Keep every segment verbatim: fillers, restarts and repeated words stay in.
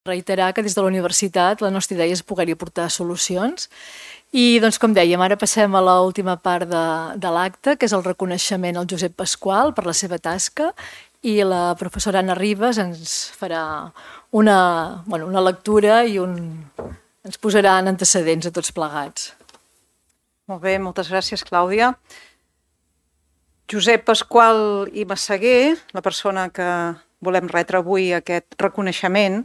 Reiterar que des de la universitat la nostra idea és poder-hi aportar solucions i, doncs, com dèiem, ara passem a l'última part de, de l'acte, que és el reconeixement al Josep Pasqual per la seva tasca, i la professora Anna Ribas ens farà una, bueno, una lectura i un, ens posarà en antecedents a tots plegats. Molt bé, moltes gràcies, Clàudia. Josep Pasqual i Massaguer, la persona que volem retre avui aquest reconeixement,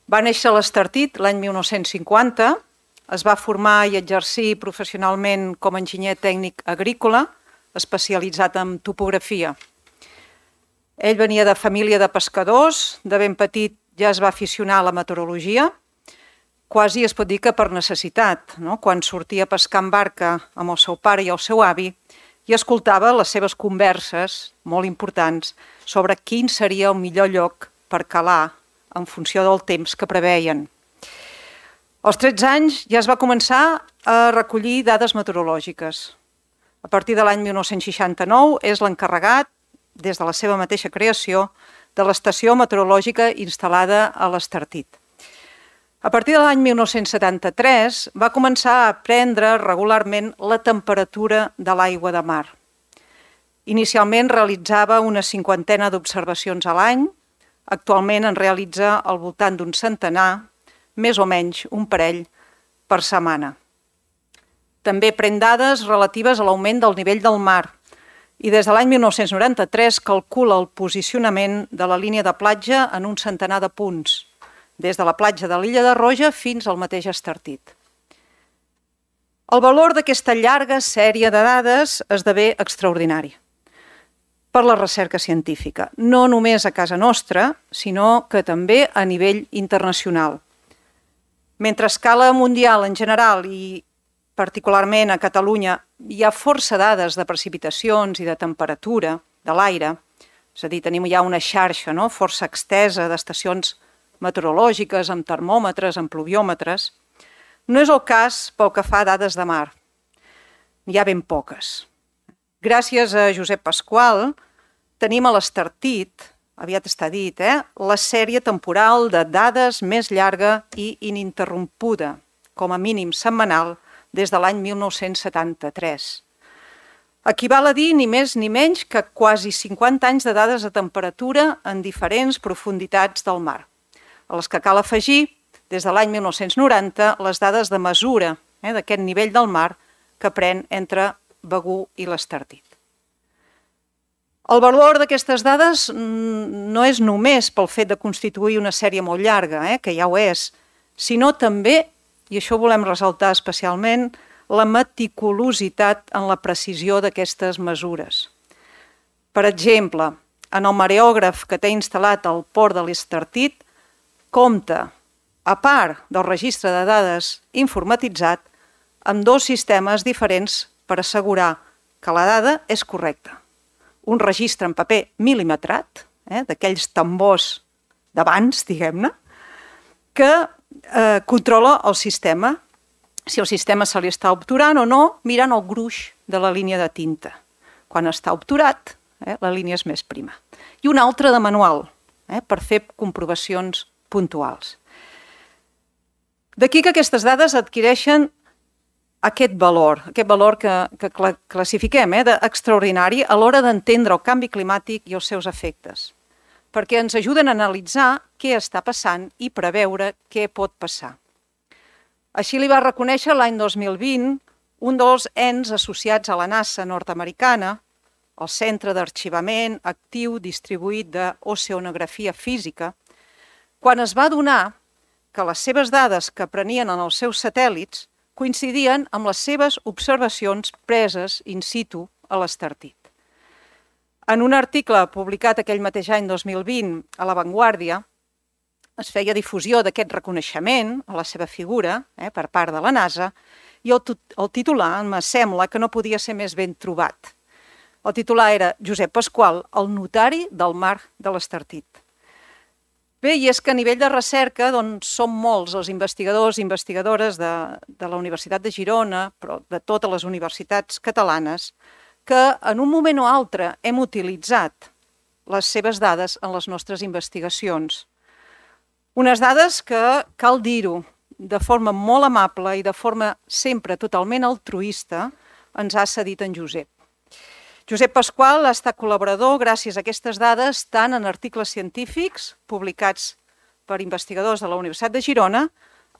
va néixer a l'Estartit l'any mil nou-cents cinquanta, es va formar i exercir professionalment com a enginyer tècnic agrícola, especialitzat en topografia. Ell venia de família de pescadors, de ben petit ja es va aficionar a la meteorologia, quasi es pot dir que per necessitat, no? Quan sortia a pescar en barca amb el seu pare i el seu avi, i escoltava les seves converses, molt importants, sobre quin seria el millor lloc per calar en funció del temps que preveien. Als tretze anys ja es va començar a recollir dades meteorològiques. A partir de l'any mil nou-cents seixanta-nou és l'encarregat, des de la seva mateixa creació, de l'estació meteorològica instal·lada a l'Estartit. A partir de l'any mil nou-cents setanta-tres va començar a prendre regularment la temperatura de l'aigua de mar. Inicialment realitzava una cinquantena d'observacions a l'any, actualment en realitza al voltant d'un centenar, més o menys un parell per setmana. També pren dades relatives a l'augment del nivell del mar i des de l'any mil nou-cents noranta-tres calcula el posicionament de la línia de platja en un centenar de punts, des de la platja de l'Illa de Roja fins al mateix Estartit. El valor d'aquesta llarga sèrie de dades esdevé extraordinari per la recerca científica, no només a casa nostra, sinó que també a nivell internacional. Mentre a escala mundial en general i particularment a Catalunya hi ha força dades de precipitacions i de temperatura de l'aire, és a dir, tenim ja una xarxa no? força extesa d'estacions meteorològiques, amb termòmetres, amb pluviòmetres, no és el cas pel que fa a dades de mar. N'hi ha ben poques. Gràcies a Josep Pasqual tenim a l'Estartit, aviat està dit, eh, la sèrie temporal de dades més llarga i ininterrompuda, com a mínim setmanal, des de l'any mil nou-cents setanta-tres. Equival a dir ni més ni menys que quasi cinquanta anys de dades de temperatura en diferents profunditats del mar, a les que cal afegir, des de l'any mil nou-cents noranta, les dades de mesura eh, d'aquest nivell del mar que pren entre Begur i l'Estartit. El valor d'aquestes dades no és només pel fet de constituir una sèrie molt llarga, eh, que ja ho és, sinó també, i això volem ressaltar especialment, la meticulositat en la precisió d'aquestes mesures. Per exemple, en el mareògraf que té instal·lat al port de l'Estartit, compta, a part del registre de dades informatitzat, amb dos sistemes diferents per assegurar que la dada és correcta. Un registre en paper mil·limetrat, eh, d'aquells tambors d'abans, diguem-ne, que eh, controla el sistema, si el sistema se li està obturant o no, mirant el gruix de la línia de tinta. Quan està obturat, eh, la línia és més prima. I un altre de manual, eh, per fer comprovacions puntuals. D'aquí que aquestes dades adquireixen aquest valor, aquest valor que, que classifiquem eh, d'extraordinari a l'hora d'entendre el canvi climàtic i els seus efectes, perquè ens ajuden a analitzar què està passant i preveure què pot passar. Així li va reconèixer l'any dos mil vint un dels ens associats a la NASA nord-americana, el Centre d'Arxivament Actiu Distribuït d'Oceanografia Física, quan es va adonar que les seves dades que prenien en els seus satèl·lits coincidien amb les seves observacions preses in situ a l'Estartit. En un article publicat aquell mateix any dos mil vint a La Vanguardia es feia difusió d'aquest reconeixement a la seva figura eh, per part de la NASA i el, el titular em sembla que no podia ser més ben trobat. El titular era Josep Pasqual, el notari del mar de l'Estartit. Bé, i és que a nivell de recerca doncs, som molts els investigadors i investigadores de, de la Universitat de Girona, però de totes les universitats catalanes, que en un moment o altre hem utilitzat les seves dades en les nostres investigacions. Unes dades que, cal dir-ho, de forma molt amable i de forma sempre totalment altruista, ens ha cedit en Josep. Josep Pasqual ha estat col·laborador gràcies a aquestes dades tant en articles científics publicats per investigadors de la Universitat de Girona,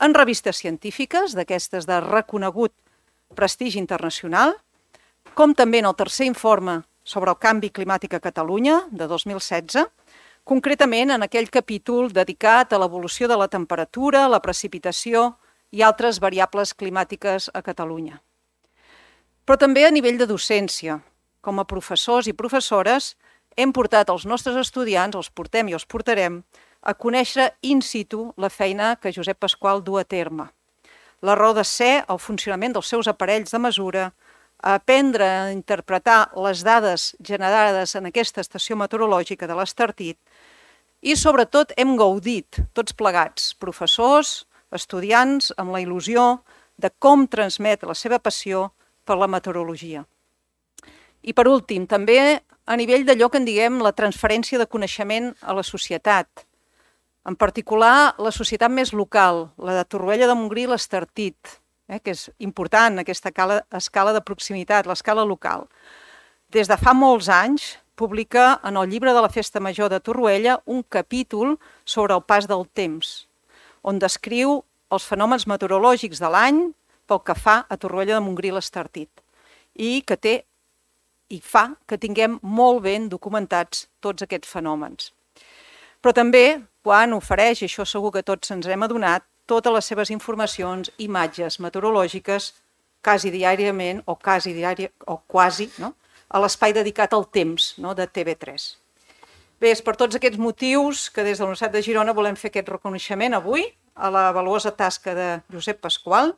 en revistes científiques, d'aquestes de reconegut prestigi internacional, com també en el tercer informe sobre el canvi climàtic a Catalunya, de dos mil setze, concretament en aquell capítol dedicat a l'evolució de la temperatura, la precipitació i altres variables climàtiques a Catalunya. Però també a nivell de docència. Com a professors i professores, hem portat als nostres estudiants, els portem i els portarem, a conèixer in situ la feina que Josep Pasqual du a terme. La raó de ser, el funcionament dels seus aparells de mesura, a aprendre a interpretar les dades generades en aquesta estació meteorològica de l'Estartit i, sobretot, hem gaudit, tots plegats, professors, estudiants, amb la il·lusió de com transmet la seva passió per la meteorologia. I, per últim, també a nivell d'allò que en diguem la transferència de coneixement a la societat, en particular la societat més local, la de Torroella de Montgrí i l'Estartit, eh, que és important aquesta escala, escala de proximitat, l'escala local. Des de fa molts anys publica en el llibre de la Festa Major de Torroella un capítol sobre el pas del temps, on descriu els fenòmens meteorològics de l'any pel que fa a Torroella de Montgrí i l'Estartit, i que té i fa que tinguem molt ben documentats tots aquests fenòmens. Però també, quan ofereix, i això segur que tots ens hem adonat, totes les seves informacions, imatges meteorològiques, quasi diàriament o quasi, diari, o quasi no? a l'espai dedicat al temps no? de T V tres. Bé, és per tots aquests motius que des de la Universitat de Girona volem fer aquest reconeixement avui a la valuosa tasca de Josep Pasqual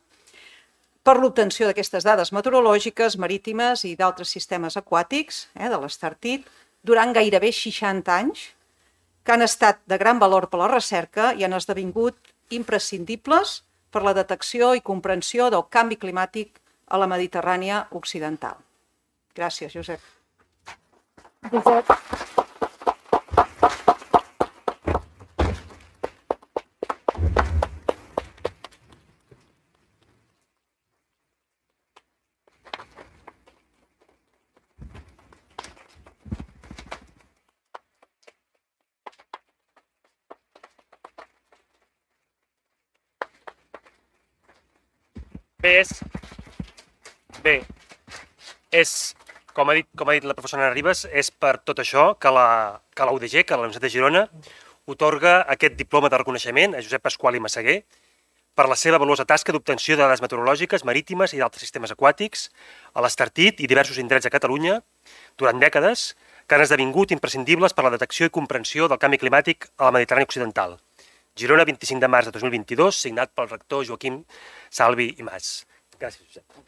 per l'obtenció d'aquestes dades meteorològiques, marítimes i d'altres sistemes aquàtics eh, de l'Estartit durant gairebé seixanta anys, que han estat de gran valor per a la recerca i han esdevingut imprescindibles per la detecció i comprensió del canvi climàtic a la Mediterrània occidental. Gràcies, Josep. Josep. Bé, és, bé, és com, ha dit, com ha dit la professora Ana Ribas, és per tot això que la, que la U D G, que la Universitat de Girona, otorga aquest diploma de reconeixement a Josep Pasqual i Massaguer per la seva valuosa tasca d'obtenció de dades meteorològiques, marítimes i d'altres sistemes aquàtics a l'Estartit i diversos indrets a Catalunya durant dècades que han esdevingut imprescindibles per la detecció i comprensió del canvi climàtic a la Mediterrània occidental. Girona, vint-i-cinc de març de dos mil vint-i-dos, signat pel rector Joaquim Salvi i Mas. Gràcies, Josep.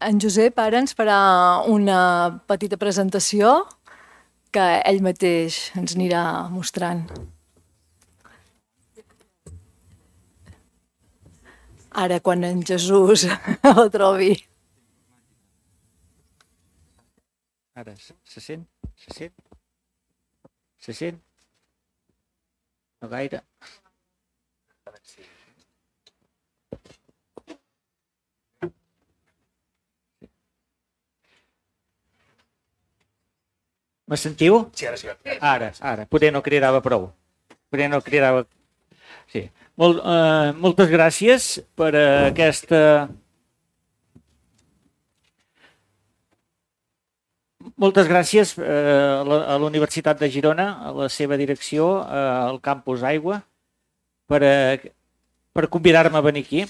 En Josep ara ens farà una petita presentació que ell mateix ens anirà mostrant. Ara, quan en Jesús el trobi. Ara, se sent? Se sent? Se sent? No gaire. Me sentiu? Sí, ara sí. Ara, ara. Poder no cridava prou. Poder no cridava... Sí. Molt, eh, moltes gràcies per aquesta... Moltes gràcies eh, a la Universitat de Girona, a la seva direcció, eh, al Campus Aigua, per, eh, per convidar-me a venir aquí.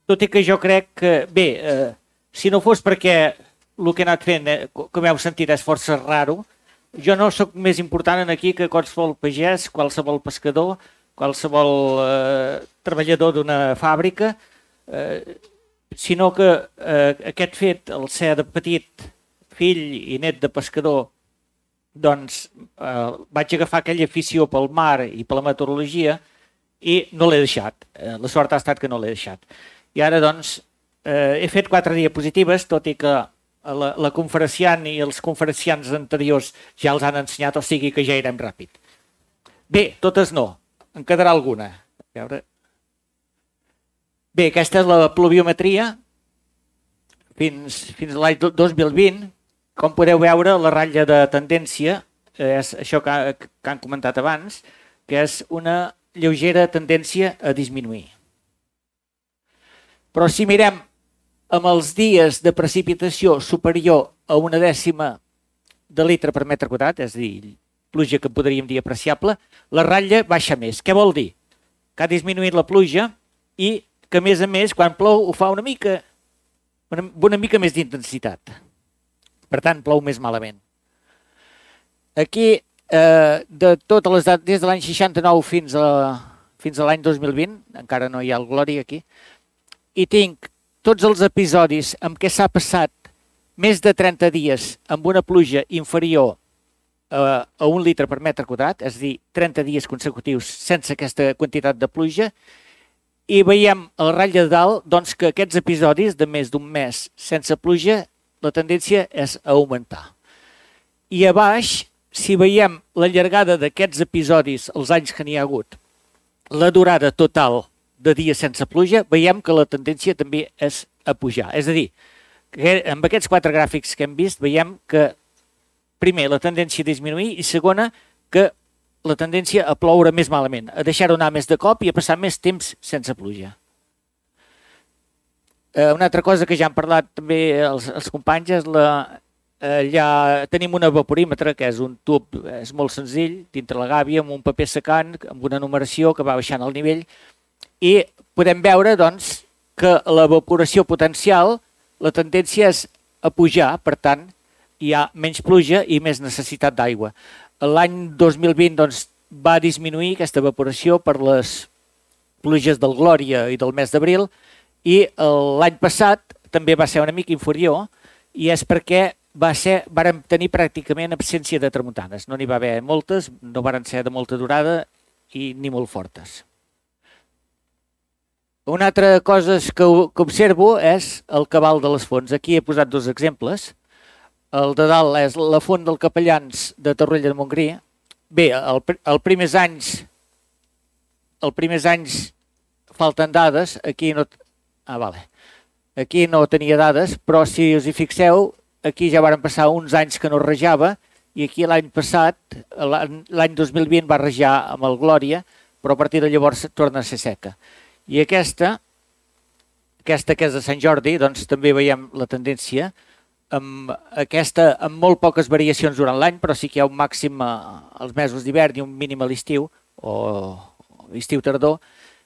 Tot i que jo crec que, bé, eh, si no fos perquè el que he anat fent, eh, com heu sentit, és força raro, jo no sóc més important aquí que qualsevol pagès, qualsevol pescador, qualsevol eh, treballador d'una fàbrica, eh, sinó que eh, aquest fet, el ser de petit fill i net de pescador, doncs eh, vaig agafar aquella afició pel mar i per la meteorologia i no l'he deixat. Eh, la sort ha estat que no l'he deixat. I ara, doncs, eh, he fet quatre diapositives, tot i que la, la conferenciant i els conferenciants anteriors ja els han ensenyat, o sigui que ja irem ràpid. Bé, totes no. En quedarà alguna. A veure. Bé, aquesta és la pluviometria fins, fins a l'any dos mil vint. Com podeu veure, la ratlla de tendència és això que, que han comentat abans, que és una lleugera tendència a disminuir. Però si mirem amb els dies de precipitació superior a una dècima de litre per metre quadrat, és a dir, pluja que podríem dir apreciable, la ratlla baixa més. Què vol dir? Que ha disminuït la pluja i que, a més a més, quan plou ho fa una mica, una, una mica més d'intensitat. Per tant, plou més malament. Aquí, eh, de totes les dates, des de l'any seixanta-nou fins a, fins a l'any dos mil vint, encara no hi ha el Glòria aquí, i tinc tots els episodis en què s'ha passat més de trenta dies amb una pluja inferior a, a un litre per metre quadrat, és a dir, trenta dies consecutius sense aquesta quantitat de pluja, i veiem a la ratlla de dalt doncs, que aquests episodis de més d'un mes sense pluja, la tendència és a augmentar. I a baix, si veiem la llargada d'aquests episodis, els anys que n'hi ha hagut, la durada total de dies sense pluja, veiem que la tendència també és a pujar. És a dir, que amb aquests quatre gràfics que hem vist, veiem que primer la tendència a disminuir i segona que la tendència a ploure més malament, a deixar-ho anar més de cop i a passar més temps sense pluja. Una altra cosa que ja han parlat també els, els companys és la, eh, ja tenim un evaporímetre que és un tub, és molt senzill, dintre la gàbia, amb un paper secant, amb una numeració que va baixant el nivell i podem veure doncs, que l'evaporació potencial, la tendència és a pujar, per tant, hi ha menys pluja i més necessitat d'aigua. L'any dos mil vint doncs, va disminuir aquesta evaporació per les pluges del Glòria i del mes d'abril, i l'any passat també va ser una mica inferior i és perquè va ser, vàrem tenir pràcticament absència de tramuntanes. No n'hi va haver moltes, no varen ser de molta durada i ni molt fortes. Una altra cosa que, que observo és el cabal de les fonts. Aquí he posat dos exemples. El de dalt és la font del Capellans de Torroella de Montgrí. Bé, el, el primers anys, el primers anys falten dades, aquí no... Ah, vale. Aquí no tenia dades, però si us hi fixeu, aquí ja varen passar uns anys que no rejava i aquí l'any passat, l'any dos mil vint, va rejar amb el Glòria, però a partir de llavors torna a ser seca. I aquesta, aquesta que és de Sant Jordi, doncs també veiem la tendència, amb, aquesta, amb molt poques variacions durant l'any, però sí que hi ha un màxim als mesos d'hivern i un mínim a l'estiu, o estiu-tardor,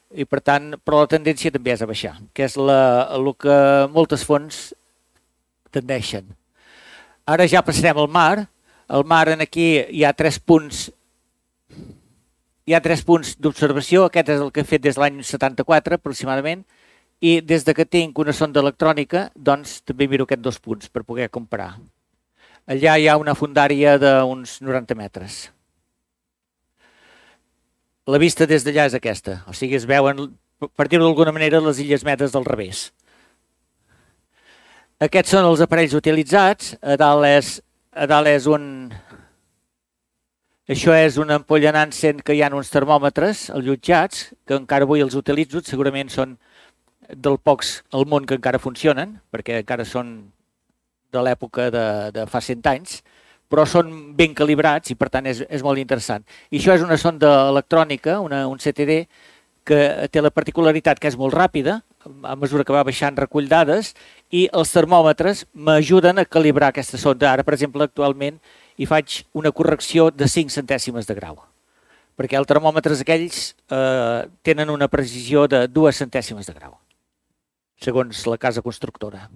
i per tant, però la tendència també és a baixar, que és la, el que moltes fonts tendeixen. Ara ja passarem al mar. Al mar aquí hi ha tres punts hi ha tres punts d'observació. Aquest és el que he fet des de l'any setanta-quatre aproximadament i des de que tinc una sonda electrònica doncs també miro aquests dos punts per poder comparar. Allà hi ha una fondària d'uns noranta metres. La vista des d'allà és aquesta, o sigui es veuen, per dir-ho d'alguna manera, les Illes Medes del revés. Aquests són els aparells utilitzats, a dalt és, a dalt és un... Això és una ampolla Nansen que hi ha uns termòmetres allotjats, que encara avui els utilitzo, segurament són del pocs al món que encara funcionen, perquè encara són de l'època de, de fa cent anys, però són ben calibrats i per tant és, és molt interessant. I això és una sonda electrònica, una, un C T D, que té la particularitat que és molt ràpida, a mesura que va baixant recull dades, i els termòmetres m'ajuden a calibrar aquesta sonda. Ara, per exemple, actualment hi faig una correcció de cinc centèsimes de grau, perquè els termòmetres aquells eh, tenen una precisió de dues centèsimes de grau, segons la casa constructora,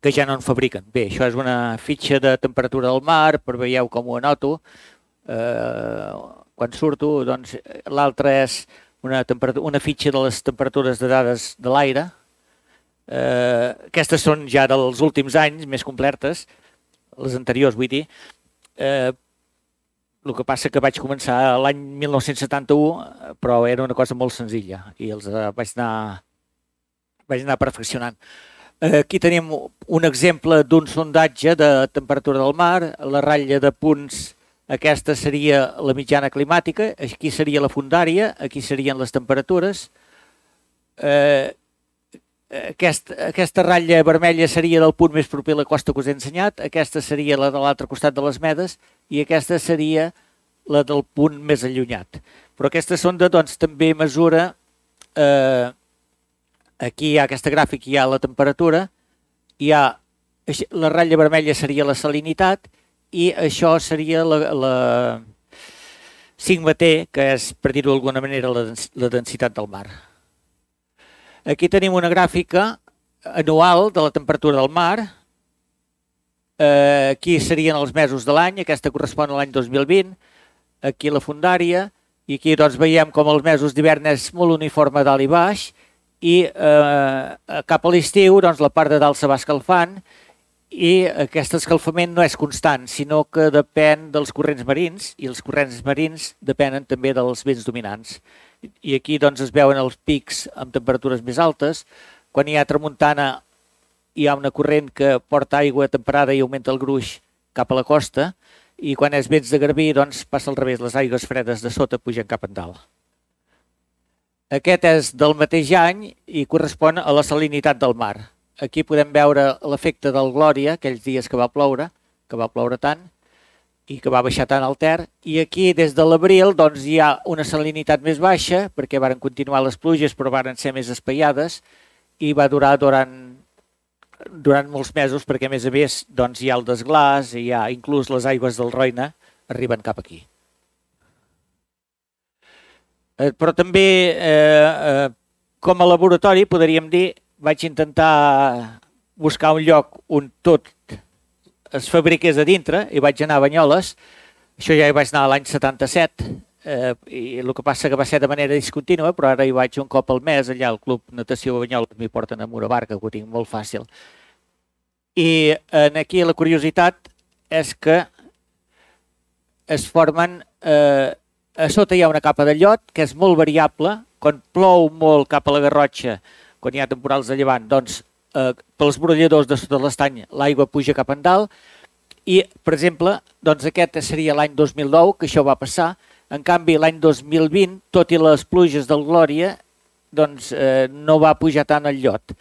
que ja no en fabriquen. Bé, això és una fitxa de temperatura del mar, per veieu com ho anoto. Eh, quan surto, doncs, l'altra és una, una fitxa de les temperatures de dades de l'aire. Eh, aquestes són ja dels últims anys, més completes, les anteriors, vull dir. Eh, el que passa que vaig començar l'any mil nou-cents setanta-u, però era una cosa molt senzilla i els eh, vaig anar, vaig anar perfeccionant. Eh, aquí tenim un exemple d'un sondatge de temperatura del mar, la ratlla de punts. Aquesta seria la mitjana climàtica, aquí seria la fundària, aquí serien les temperatures. Eh, aquest, aquesta ratlla vermella seria del punt més proper a la costa que us he ensenyat, aquesta seria la de l'altre costat de les Medes i aquesta seria la del punt més allunyat. Però aquesta sonda doncs, també mesura, eh, aquí hi ha aquesta gràfica, hi ha la temperatura, hi ha, la ratlla vermella seria la salinitat, i això seria la, la sigma T, que és, per dir-ho d'alguna manera, la, la densitat del mar. Aquí tenim una gràfica anual de la temperatura del mar. Eh, aquí serien els mesos de l'any, aquesta correspon a l'any dos mil vint. Aquí la fundària, i aquí doncs, veiem com els mesos d'hivern és molt uniforme dalt i baix, i eh, cap a l'estiu doncs, la part de dalt se va escalfant, i aquest escalfament no és constant, sinó que depèn dels corrents marins, i els corrents marins depenen també dels vents dominants. I aquí doncs, es veuen els pics amb temperatures més altes. Quan hi ha tramuntana hi ha una corrent que porta aigua temperada i augmenta el gruix cap a la costa, i quan és vents de garbí doncs, passa al revés, les aigües fredes de sota pugen cap endalt. Aquest és del mateix any i correspon a la salinitat del mar. Aquí podem veure l'efecte del Glòria, aquells dies que va ploure, que va ploure tant, i que va baixar tant al Ter. I aquí, des de l'abril, doncs, hi ha una salinitat més baixa, perquè varen continuar les pluges, però varen ser més espaiades, i va durar durant, durant molts mesos, perquè a més a més doncs, hi ha el desglàs, i hi ha inclús les aigües del Roine arriben cap aquí. Eh, però també, eh, eh, com a laboratori, podríem dir, vaig intentar buscar un lloc on tot es fabriqués a dintre i vaig anar a Banyoles. Això ja hi vaig anar l'any setanta-set eh, i el que passa que va ser de manera discontínua, però ara hi vaig un cop al mes, allà al Club Natació Banyoles m'hi porten amb una barca, que ho tinc molt fàcil. I aquí la curiositat és que es formen, eh, a sota hi ha una capa de llot que és molt variable, quan plou molt cap a la Garrotxa, quan hi ha temporals de llevant, doncs eh, pels brolladors de sota l'estany l'aigua puja cap endalt i, per exemple, doncs aquest seria l'any dos mil nou que això va passar. En canvi, l'any dos mil vint, tot i les pluges del Glòria, doncs eh, no va pujar tant el llot.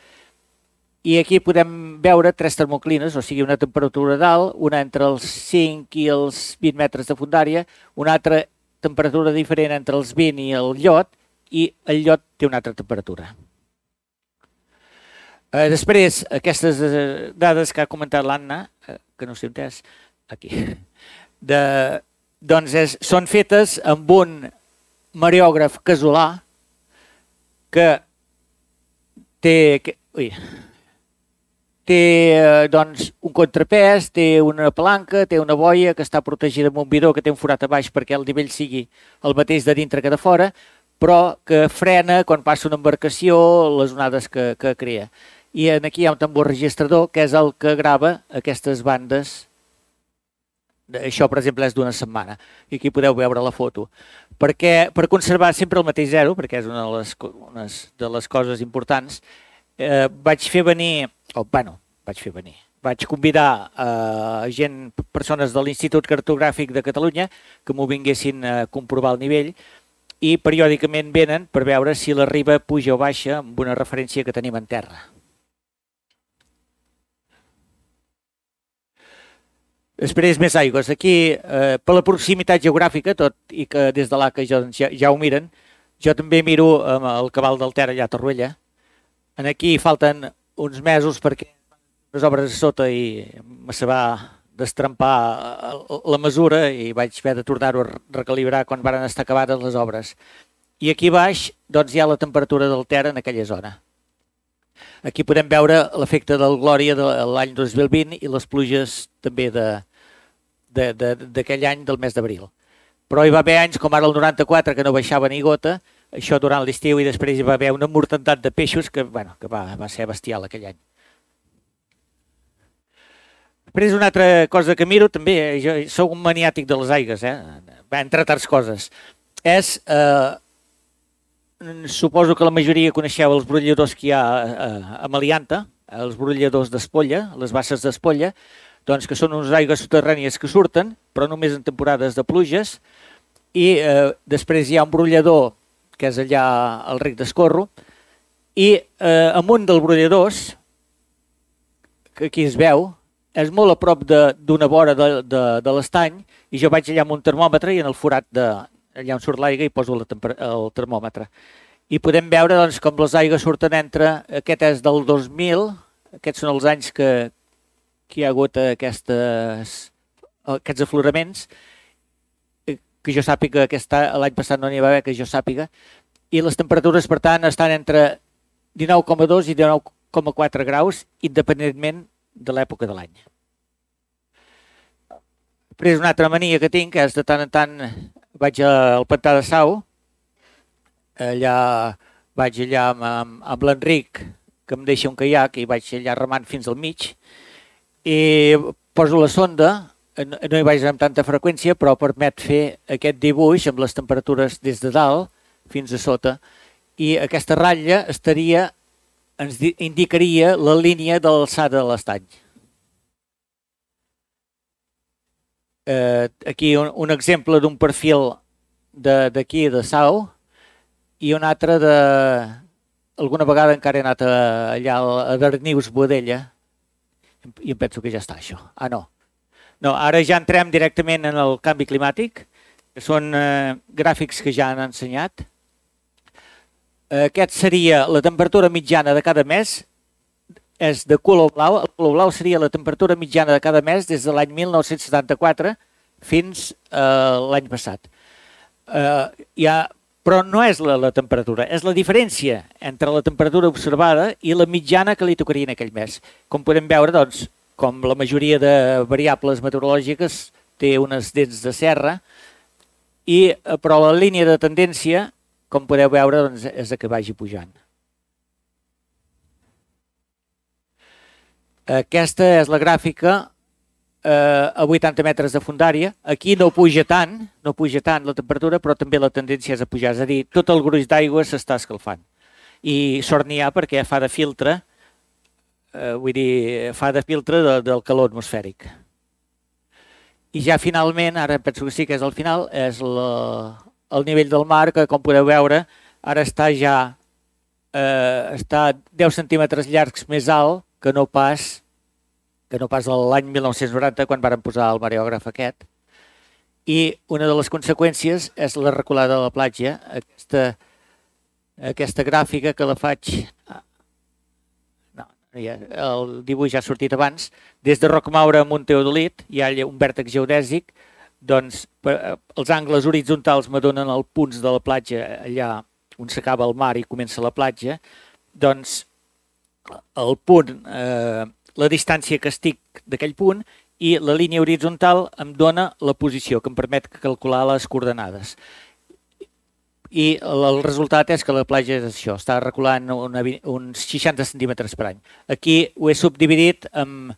I aquí podem veure tres termoclines, o sigui, una temperatura dalt, una entre els cinc i els vint metres de fundària, una altra temperatura diferent entre els vint i el llot, i el llot té una altra temperatura. Eh, després, aquestes eh, dades que ha comentat l'Anna, eh, que no sé on és, aquí, de, doncs és, són fetes amb un mareògraf casolà que té, que, ui, té eh, doncs, un contrapès, té una palanca, té una boia que està protegida amb un bidó que té un forat a baix perquè el nivell sigui el mateix de dintre que de fora, però que frena quan passa una embarcació les onades que, que crea. I aquí hi ha un tambor registrador que és el que grava aquestes bandes. Això, per exemple, és d'una setmana. I aquí podeu veure la foto. Perquè, per conservar sempre el mateix zero, perquè és una de les, una de les coses importants, eh, vaig fer venir, o oh, bueno, vaig fer venir, vaig convidar eh, gent, persones de l'Institut Cartogràfic de Catalunya que m'ho vinguessin a comprovar el nivell i periòdicament venen per veure si la riba puja o baixa amb una referència que tenim en terra. Després més aigües. Aquí, eh, per la proximitat geogràfica, tot i que des de l'A C A ja, ja ho miren, Jo també miro amb el cabal del Ter allà a Torroella. Aquí falten uns mesos perquè les obres a sota i se va destrempar la mesura i vaig haver de tornar-ho a recalibrar quan van estar acabades les obres. I aquí baix doncs, hi ha la temperatura del Ter en aquella zona. Aquí podem veure l'efecte del Glòria de l'any dos mil vint i les pluges també d'aquell any del mes d'abril. Però hi va haver anys com ara el noranta-quatre que no baixava ni gota, això durant l'estiu, i després hi va haver una mortandat de peixos que, bueno, que va, va ser bestial aquell any. Després una altra cosa que miro també, jo sóc un maniàtic de les aigues, eh? Entre altres coses, és, eh, suposo que la majoria coneixeu els brolladors que hi ha a Melianta, els brolladors d'Espolla, les basses d'Espolla, doncs que són unes aigües subterrànies que surten, però només en temporades de pluges, i eh, després hi ha un brollador que és allà al Ric d'Escorro, i eh, amunt dels brolladors, que aquí es veu, és molt a prop d'una vora de, de, de l'estany, i jo vaig allà amb un termòmetre i en el forat de, allà on surt l'aigua i poso la el termòmetre. I podem veure doncs, com les aigües surten entre, aquest és del dos mil, aquests són els anys que, que hi ha hagut aquestes, aquests afloraments, que jo sàpiga que l'any passat no n'hi va haver, que jo sàpiga, i les temperatures, per tant, estan entre dinou coma dos i dinou coma quatre graus, independentment de l'època de l'any. Després una altra mania que tinc és de tant en tant vaig al pantà de Sau, allà vaig allà amb, amb, amb l'Enric, que em deixa un caiac, i vaig allà remant fins al mig, i poso la sonda, no hi vaig amb tanta freqüència, però permet fer aquest dibuix amb les temperatures des de dalt fins a sota, i aquesta ratlla estaria, ens indicaria la línia de l'alçada de l'estany. Eh, aquí un, un exemple d'un perfil d'aquí, de, de Sau, i un altre de... Alguna vegada encara he anat a, allà a Darnius, Boadella, i em penso que ja està això. Ah, no. No, ara ja entrem directament en el canvi climàtic, que són eh, gràfics que ja han ensenyat. Aquest seria la temperatura mitjana de cada mes, és de color blau. El color blau seria la temperatura mitjana de cada mes des de l'any mil nou-cents setanta-quatre fins a l'any passat. Hi ha, però no és la, la temperatura, és la diferència entre la temperatura observada i la mitjana que li tocaria en aquell mes. Com podem veure, doncs, com la majoria de variables meteorològiques té unes dents de serra, i, però la línia de tendència, com podeu veure, doncs, és que vagi pujant. Aquesta és la gràfica eh, a vuitanta metres de fondària. Aquí no puja tant, no puja tant la temperatura, però també la tendència és a pujar. És a dir, tot el gruix d'aigua s'està escalfant. I sort n'hi ha perquè fa de filtre, eh, vull dir, fa de filtre de, del calor atmosfèric. I ja finalment, ara penso que sí que és el final, és la, el nivell del mar, que com podeu veure, ara està ja eh, està deu centímetres llargs més alt que no pas que no pas l'any mil nou-cents noranta, quan varen posar el mareògraf aquest. I una de les conseqüències és la reculada de la platja, aquesta, aquesta gràfica que la faig... No, ja, el dibuix ja ha sortit abans. Des de Rocmaura a Monteodolit hi ha un vèrtex geodèsic, doncs els angles horitzontals me donen els punts de la platja allà on s'acaba el mar i comença la platja, doncs el punt, eh, la distància que estic d'aquell punt, i la línia horitzontal em dona la posició, que em permet calcular les coordenades. I el resultat és que la platja és això, està reculant una, uns seixanta centímetres per any. Aquí ho he subdividit amb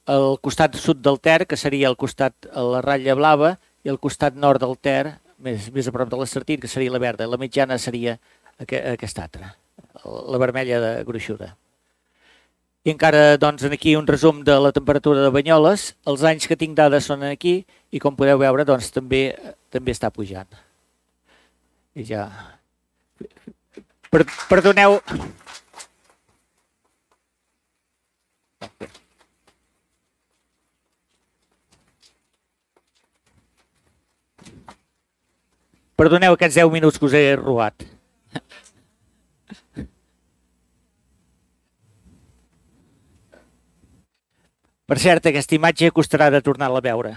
el costat sud del Ter, que seria el costat a la ratlla blava, i el costat nord del Ter, més, més a prop de l'Estartit, que seria la verda. La mitjana seria aquesta altra, la vermella de gruixuda. I encara, doncs, aquí un resum de la temperatura de Banyoles. Els anys que tinc dades són aquí i, com podeu veure, doncs, també, també està pujant. I ja... Per, perdoneu... Perdoneu aquests deu minuts que us he robat. Per cert, aquesta imatge costarà de tornar-la a veure.